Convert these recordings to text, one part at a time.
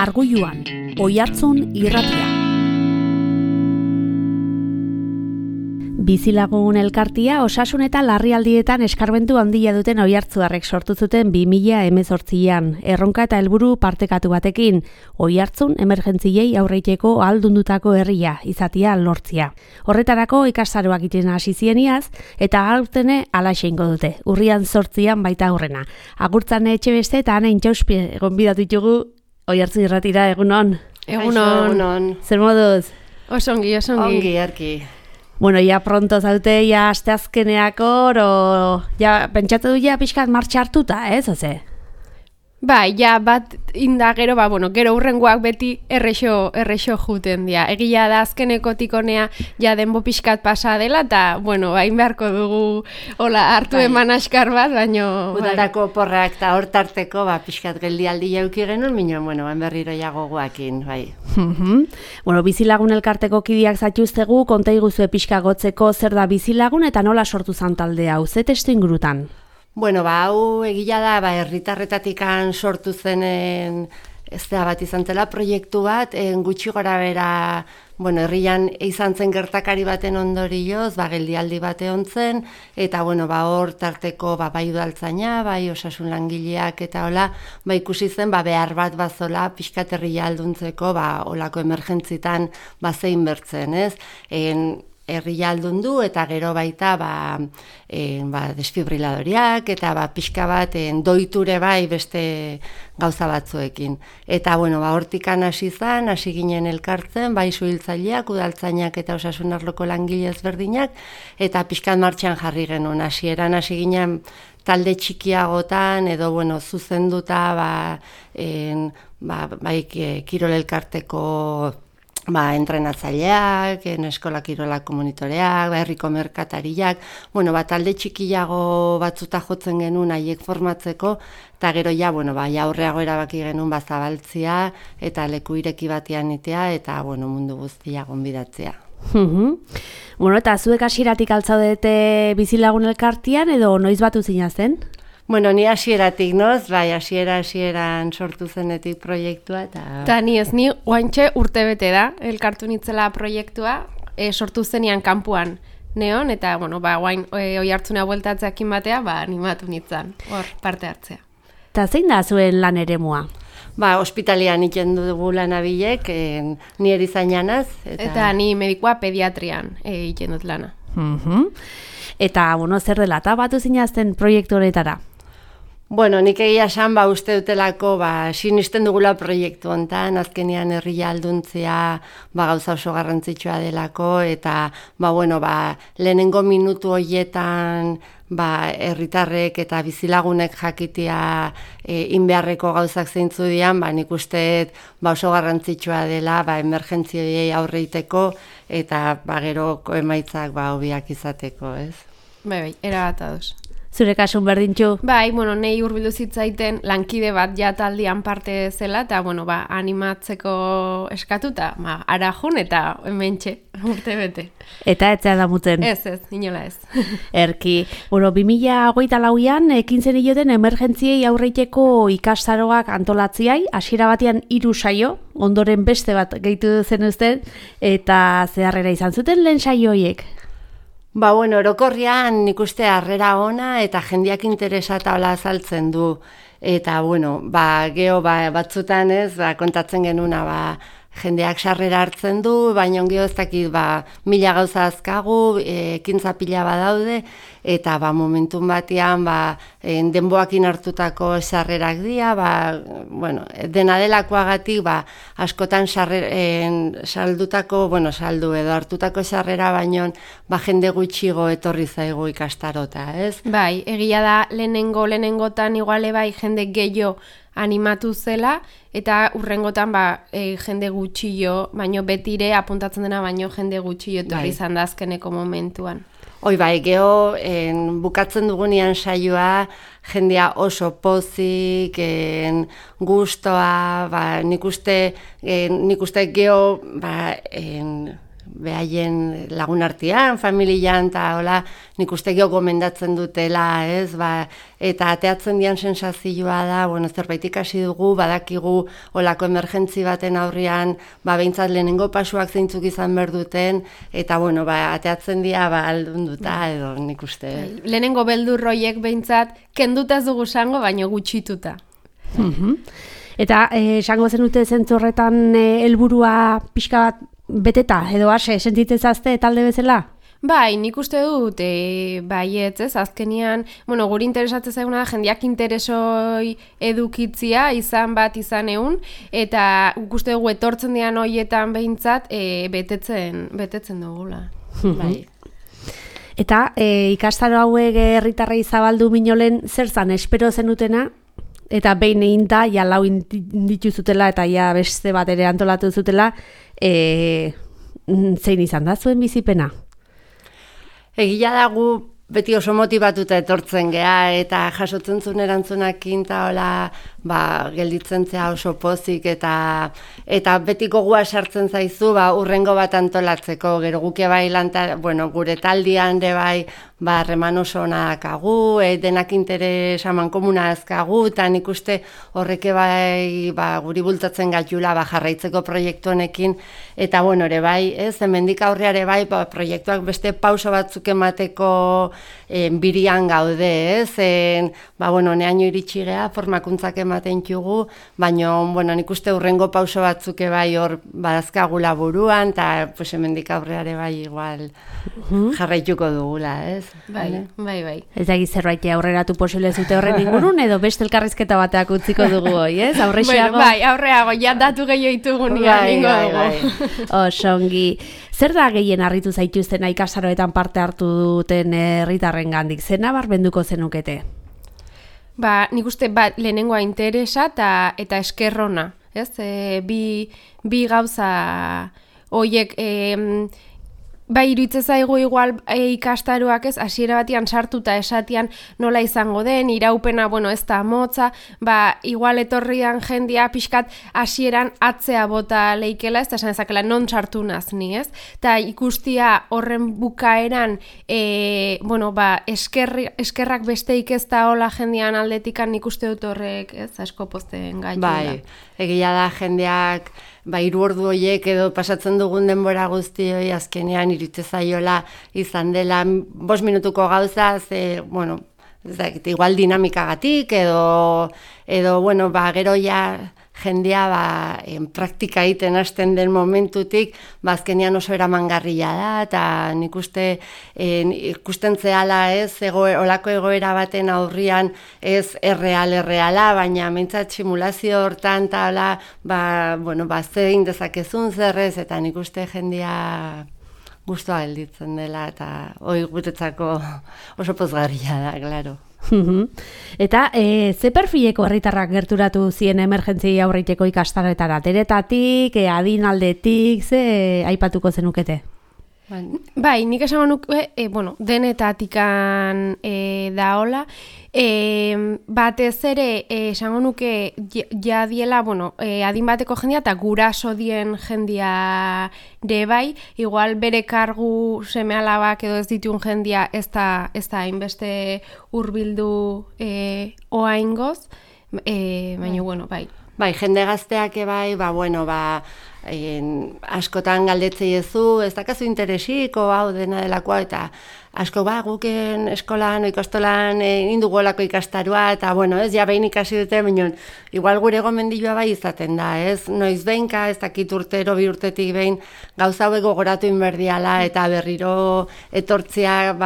Arguluan, Oihartzun irratia. Bizilagun elkartia osasun eta larrialdietan eskarmentu handia duten oihartzuarrek sortu zuten 2018an, erronka eta helburu partekatu batekin, Oihartzun emergentziei aurreiteko ahaldundutako herria izatea lortzia. Horretarako ikastaroak egiten hasi zieniaz eta aurtene halaxe eingo dute. Urrian 8an baita aurrena. Agurtzane Etxebeste eta Ana Intxauspe gonbidatu ditugu Oihartzun irratira. Egunon. Egunon. Zer moduz? Osongi. Ongi, arki. Bueno, ya pronto zaute, ya asteazkeneako, ya pentsatu du ja pixkat martxa hartuta, ez, oze? Bai, ja bat indagero, gero hurrengoak beti errexo juten dira. Egia da azkenekotik honea ja denbo pixkat pasa dela, eta, hain beharko dugu hartu eman askar bat, baino... Udarako porrak eta hortarteko, pixkat geldialdi jauki genuen, hain berriro jagoguakin, bai. Bizilagun elkarteko kidiak zatuztegu, konta iguzue pixka gotzeko zer da bizilagun eta nola sortu zan talde hau, ze testu ingurutan? Hau egila da, herritarretatikan sortu zenen ez da bat izan zela proiektu bat, gutxi gora bera, herrian izan zen gertakari baten ondorioz, geldialdi bate ontzen, eta hor tarteko bai udaltzaina, bai osasun langileak eta hola, ikusi zen behar bat bazola pixkat herria alduntzeko, olako emergentzitan zein bertzen, ez? Herria aldundu eta gero baita desfibriladoriak eta pixka bat doiture bai beste gauza batzuekin. Eta hortikan hasi ginen elkartzen, bai suhiltzaileak, udaltzainak eta osasun arloko langile ezberdinak, eta pixkat martxan jarri genuen. Hasieran hasi ginen talde txikiagotan edo zuzenduta kirol elkarteko entrenatzaileak, eskola kirolako monitoreak, herriko merkatariak, talde txikiago batzuta jotzen genuen haiek formatzeko, eta gero aurreago erabaki genuen zabaltzia eta leku ireki batean itea eta mundu guztia gonbidatzea. Eta zuek hasieratik altzaudete bizilagun elkartian edo noiz batu zinazen? Ni hasieratik noz, hasieran sortu zenetik proiektua. Eta ni oantxe urtebete da, elkartu nitzela proiektua, sortu zenian kanpuan neon, eta oain Oihartzuna bueltatzeakin batea, animatu nitzan, hor parte hartzea. Eta zein da zuen lan eremua? Ospitalian iten dugu lanabilek, ni erizainanaz. Eta ni medikoa pediatrian iten dut lana. Eta, zer dela, eta batu zinazten proiektu honetara? Nik egia esan, uste dutelako, sinisten dugula proiektu hontan, azkenean herria alduntzea gauza oso garrantzitsua delako, eta, lehenengo minutu horietan, herritarrek eta bizilagunek jakitea inbeharreko gauzak zeintzu dian, nik uste oso garrantzitsua dela, emergentziei aurreiteko, eta gero emaitzak hobiak izateko, ez? Bai, erabat ados. Zure kasun berdintxu? Nei hurbildu zitzaiten lankide bat taldean parte zela, eta, animatzeko eskatuta, arajun eta hementxe, urte bete. Eta etzea damuten? Ez, inola ez. Erki, 2024an ekin zen ioten emergentziei aurreiteko ikastaroak antolatziai, hasiera batean 3 saio, ondoren beste bat gehitu zen uzten, eta zeharrera izan zuten lehen saio horiek? Orokorrian nik uste harrera ona eta jendeak interesata hola azaltzen du. Eta, geho batzutan ez, kontatzen genuna, jendeak sarrera hartzen du, baina ongi ez dakit, 1000 gauza azkagu, ekintza pila badaude, eta momentum batean, denboakin hartutako sarrerak dira, dena delakoagatik, askotan saldu edo hartutako sarrera, baino, jende gutxigo etorri zaigu ikastarota, ez? Bai, egia da, lehenengotan iguale jende gehiago animatu zela, eta urrengotan jende gutxio, baino betire apuntatzen dena, baino jende gutxio etorri izan da azkeneko momentuan. Geho, bukatzen dugunean saioa, jendea oso pozik, gustoa, nik uste geho, behaien lagun artean, familian, eta hola, nik uste gomendatzen dutela, ez, eta ateatzen dian sensazioa da, zerbait ikasi dugu, badakigu olako emergentzi baten aurrean, behintzat lehenengo pasuak zeintzuk izan behar duten, eta ateatzen dia aldunduta, edo nik uste. Lehenengo beldurroiek behintzat, kenduta ez dugu zango, baino gutxituta. Eta esango zenute zentzu horretan helburua pixka bat beteta, edo ase, sentitzezazte talde bezala? Bai, nik uste dut, baietz, ez, azkenian, guri interesatzen zaiguna da, jendeak interesoi edukitzia, izan bat izan egun, eta uste dugu etortzen dian horietan behintzat, betetzen dugula. Bai. Eta ikastaro hauek herritarrei zabaldu minolen, zer zan, espero zenutena? Eta behin egin da, ja lau dituzutela eta ja beste bat ere antolatu zutela, zein izan da zuen bizipena? Egia dago beti oso motibatuta etortzen gea eta jasotzen zuen erantzunakin eta hola, gelditzen zea oso pozik eta beti gogua sartzen zaizu, urrengo bat antolatzeko, gero guke bai gure taldian de bai, reman oso onak agu, denak interes amankomuna azkagu, eta nik uste horreke bai guri bultatzen gaitula jarraitzeko proiektu honekin, eta ere bai, hemendik aurreare bai, proiektuak beste pauso batzuk emateko birian gaude, neaino iritsi gea, formakuntzak ematen txugu, baina nik uste urrengo pauso batzuk bai hor badazkagula buruan, eta hemendik aurreare bai igual jarraituko dugula, ez? Bai. Ez da zerbait aurreratu posible zute horren ingurun, edo beste elkarrizketa bateak utziko dugu hoi, ez? Aurreago? Bai, aurreago, ja datu gehiago ditugu nian dugu. Osongi. Zer da gehien harritu zaituzten ikastaroetan parte hartu duten herritarren gandik? Zer nabarmenduko zenukete? Nik uste lehenengoa interesa eta eskerrona, ez? Bi gauza horiek iruditzen zaigu igual ikastaroak ez, hasiera batian sartuta esatian nola izango den, iraupena, ez da motza, igual etorrian jendia pixkat hasieran atzea bota leikela, ez da esan ezakela non sartu nazni, ez? Eta ikustia horren bukaeran, eskerrak besteik ez da hola jendean aldetikan ikuste dut horrek, ez, asko pozten gaitu da. Bai, egia da jendeak, 3 ordu horiek edo pasatzen dugun denbora guzti hori azkenean iritze zaiola izan dela 5 minutuko gauza, igual dinamikagatik edo gero ja jendea praktika egiten hasten den momentutik, azkenean oso eramangarria da, eta nik uste ikusten zehala ez, olako egoera baten aurrian ez erreala, baina mentzat simulazio hortan eta zein dezakezun zerrez, eta nik uste jendea guztua gelditzen dela, eta hori gutetzako oso pozgarria da, klaro. Eta ze perfileko herritarrak gerturatu zien emergentziei aurreiteko ikastaroetara? Teretatik, adinaldetik, ze aipatuko zenukete? Bai, nik esango nuke, denetatikan da hola, batez ere esango nuke jadiela, adin bateko jendia eta guraso dien jendia de bai, igual bere kargu seme-alabak edo ez ditun jendia ez da hainbeste hurbildu oaingoz, baina, bai. Bai, jende gazteak bai, askotan galdetzei ezu, ez dakazu interesiko hau dena delakoa, eta asko guken eskolan, ikastolan indugolako ikastaroa, eta ez, ja behin ikasi dute, baina igual gure gomendioa bai izaten da, ez? Noiz behinka, ez dakit urtero, 2 urtetik behin, gauza hauek gogoratu inberdiala, eta berriro etortzea,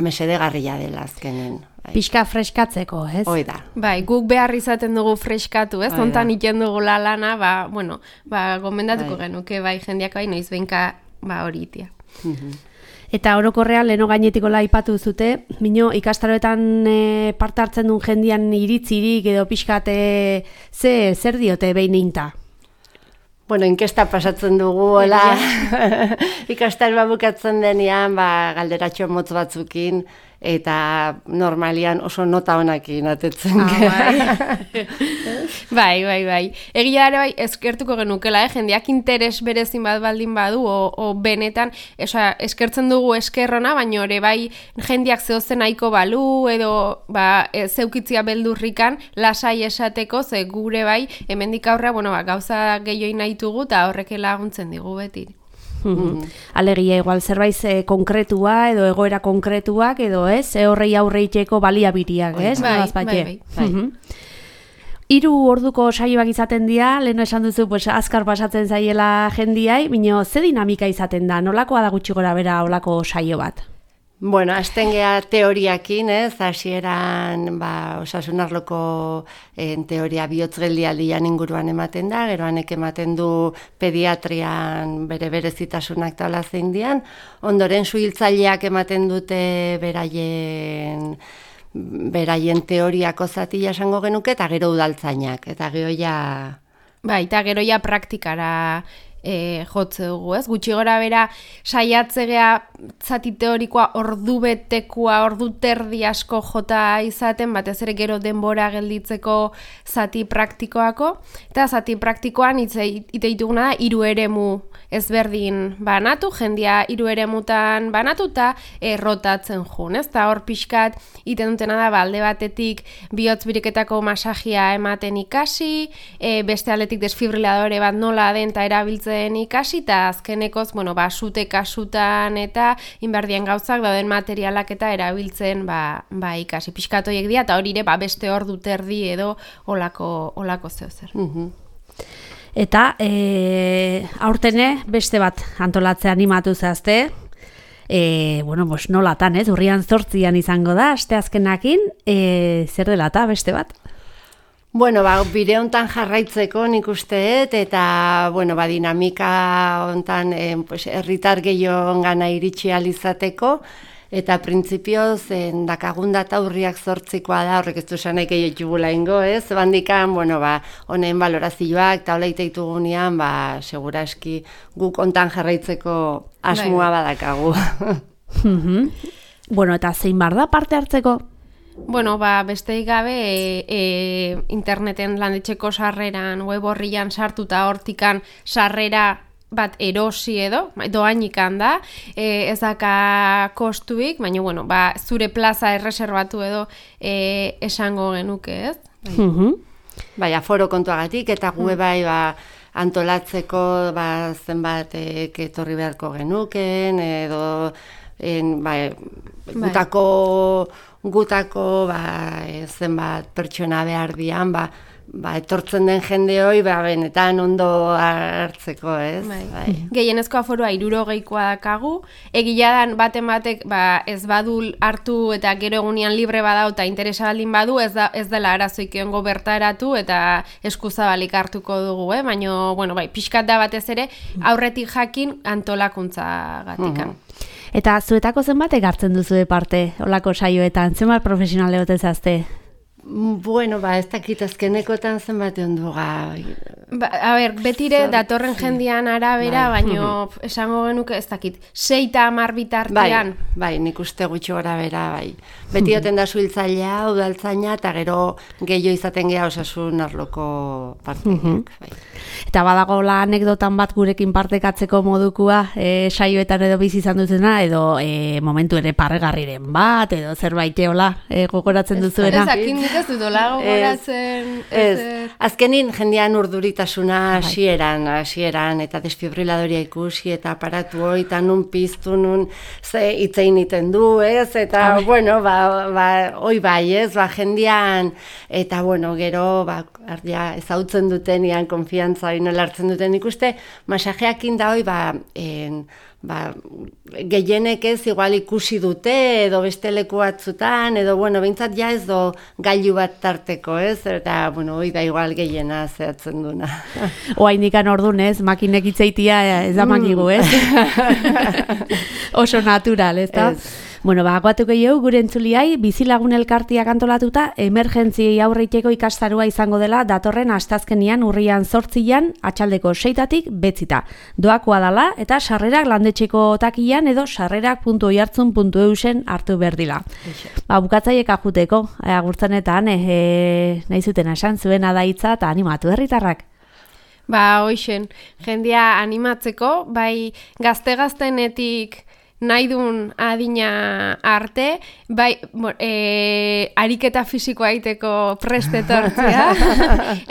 mesedegarria dela azkenen. Pixka freskatzeko, ez? Hoi da. Bai, guk behar izaten dugu freskatu, ez? Hontan iten dugu lana, gomendatuko genuke, jendeak noiz behinka hori itia. Eta orokorrean leheno gainetiko aipatu zute, ikastaroetan parte hartzen duen jendian iritzirik edo pixkate zer diote behin einta? Inkesta pasatzen dugu, ikastaroa bukatzen denean, galderatxo motz batzukin, eta normalian oso nota honakin atetzen. Bai. Egia ere bai, eskertuko genukela, jendeak interes berezin bat baldin badu, o benetan, eskertzen dugu eskerrona, baina ere bai jendeak zehozen nahiko balu, edo zeukitzia beldurrikan, lasai esateko, ze gure bai, hemendik aurrea, gauza gehioi nahi dugu, eta horrek laguntzen digu beti. Alegia, igual zerbait konkretua edo egoera konkretuak edo horrei aurreiteko baliabiriak, Bai. 3 orduko saioak izaten dira, leheno esan duzu, azkar pasatzen zaiela jendiai, baina ze dinamika izaten da, nolakoa da gutxi gora bera olako saio bat? Bueno, hasten gea teoriakin, hasieran osasun arloko teoria bihotzgeldialdian inguruan ematen da, gero hanek ematen du pediatrian bere berezitasunak taula zein dian, ondoren suhiltzaileak ematen dute beraien teoriako zatia esango genuke, eta gero udaltzainak, eta gero Bai, eta gero praktikara jotze dugu, ez? Gutxi gora bera saiatzegea zati teorikoa ordubetekoa, ordu terdi asko jota izaten, batez ere gero denbora gelditzeko zati praktikoako, eta zati praktikoan ite dituguna da 3 eremu ezberdin banatu, jendia 3 eremutan banatu eta rotatzen jun, ez? Eta hor pixkat iten dutena da, alde batetik bihotz biriketako masajia ematen ikasi, beste aldetik desfibriladore bat nola den eta erabiltzen ikasi, eta azkenekoz, sute kasutan eta inberdien gauzak dauden materialak eta erabiltzen ikasi. Pixkatoiek dira, eta hori ere beste ordu terdi edo olako zehozer. Eta aurtene beste bat antolatzea animatu zehazte, nolatan, urrian 8 izango da, asteazkenakin, zer dela eta beste bat? Bueno, bide hontan jarraitzeko nik usteet, eta, dinamika hontan herritar gehiagongana iritsi ahal izateko, eta printzipioz dakagun data urriak 8 da, horrek ez du esan nahi gehiagula ingo, ez? Bandikan, honen balorazioak, eta hola iteitugunean, segura eski guk hontan jarraitzeko asmoa badakagu. Eta zein bar da parte hartzeko? Besteik gabe interneten landetxeko sarreran, web horrian sartuta hortikan sarrera bat erosi edo, doainikan da, ez daka kostuik, baina, zure plaza erreserbatu edo esango genuke, ez? Aforo kontuagatik, eta gue antolatzeko zenbat etorri beharko genuken, edo gutako zenbat pertsona behar dian, etortzen den jende hoi, benetan ondo hartzeko, ez? Gehienezko aforoa 60koa dakagu, egia dan batek ez badul hartu eta gero egunean libre badau eta interesa baldin badu, ez dela arazoik egongo bertaratu eta eskuzabalik hartuko dugu, baina, pixkat da batez ere, aurretik jakin antolakuntza gatikan. Eta zuetako zenbatek hartzen duzu parte olako saioetan, zenbat profesional egote zazte? Ez dakit azkenekotan zenbat ondu betire datorren jendian arabera, baina esango genuke ez dakit, 6 eta 10 bitartean. Nik uste gutxi gora bera, Beti oten da suhiltzailea, udaltzaina, eta gero gehiago izaten geha osasun arloko parteak. Eta badago la anekdotan bat gurekin partekatzeko modukua, saioetan edo bizi izan duzena, edo momentu ere parregarriren bat, edo zerbait gogoratzen duzuena. Ez dut dola gogoratzen. Azkenin jendean urduritasuna hasieran, eta desfibriladoria ikusi, eta aparatu hori, eta nun piztu, nun itzein iten du, ez? Eta, hoi ez? Jendean, eta, gero, ezautzen dutenian, konfiantza hori nola hartzen duten ikuste, masajeakin da hoi, gehienek ez igual ikusi dute edo beste leku batzutan edo behintzat ez do gailu bat tarteko, ez? Eta hoi da igual gehiena zehatzen duna. Oaindikan ordun, ez? Makinek itzeitia ez da makigu, ez? Oso natural, ez da? Bueno, agoatuko jau, gure entzuliai, bizilagun elkartiak antolatuta, emergentziei aurreiteko ikastarua izango dela datorren astazkenian urrian 8 atxaldeko 6 betzita. Doakoa dala eta sarrerak landetxeko takian edo sarrerak.oiartzun.eusen hartu berdila. Bukatzaiek ajuteko, agurtzanetan, nahi zuten esan zuena da hitza eta animatu herritarrak. Hoixen, jendia animatzeko, bai gazte-gaztenetik nahi duen adina arte, bai ariketa fisikoa egiteko prestetortzea,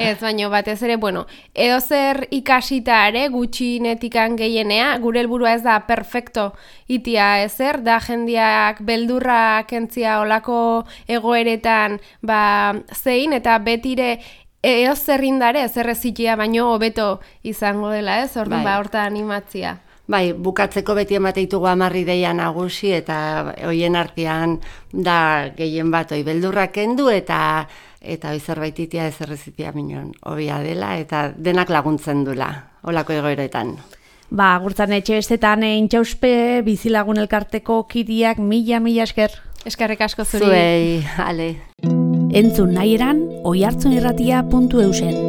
ez baino batez ere, edo zer ikasita ere gutxinetikan gehienea, gure helburua ez da perfecto itia ezer, da jendiak beldurra kentzia olako egoeretan zein, eta betire eo zerrindare, zerrezitia baino hobeto izango dela, ez? Orduan horta animatzia. Bai, bukatzeko beti emateitugu 10 ideia nagusi eta hoien artean da gehien bat beldurrak kendu eta zerbait itia zerrezitia minon hobia dela eta denak laguntzen dula holako egoeretan. Agurtzan etxe bestetan intxauspe bizilagun elkarteko kiriak mila esker. Eskerrik asko zuri. Zuei, ale. Entzun nahi eran, oiartzunirratia.eusen.